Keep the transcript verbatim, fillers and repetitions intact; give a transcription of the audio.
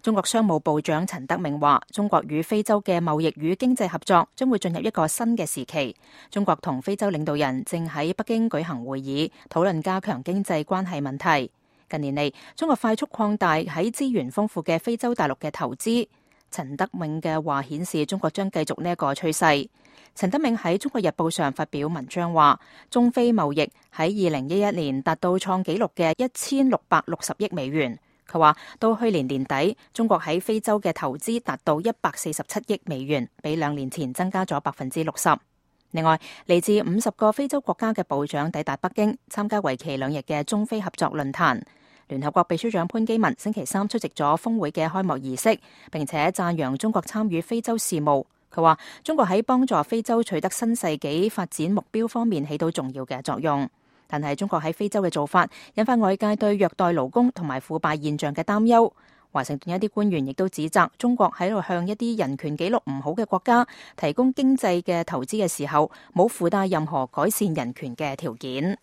中國商務部長陳德明話，中國與非洲嘅貿易與經濟合作將會進入一個新嘅時期。中國同非洲領導人正喺北京舉行會議，討論加強經濟關係問題。近年嚟，中國快速擴大喺資源豐富嘅非洲大陸嘅投資。陳德明嘅話顯示，中國將繼續呢一個趨勢。陳德明喺《中國日報》上發表文章話，中非貿易喺二零一一年達到創紀錄嘅一千六百六十億美元。佢話到去年年底，中國喺非洲嘅投資達到一百四十七億美元，比兩年前增加咗百分之六十。另外，嚟自五十個非洲國家嘅部長抵達北京，參加為期兩日嘅中非合作論壇。聯合國秘書長潘基文星期三出席咗峰會嘅開幕儀式，並且讚揚中國參與非洲事務。佢話中國喺幫助非洲取得新世紀發展目標方面起到重要嘅作用。但係中國喺非洲嘅做法引發外界對虐待勞工同埋腐敗現象嘅擔憂。華盛頓一啲官員亦都指責中國喺度向一啲人權紀錄唔好嘅國家提供經濟嘅投資嘅時候，冇附帶任何改善人權嘅條件。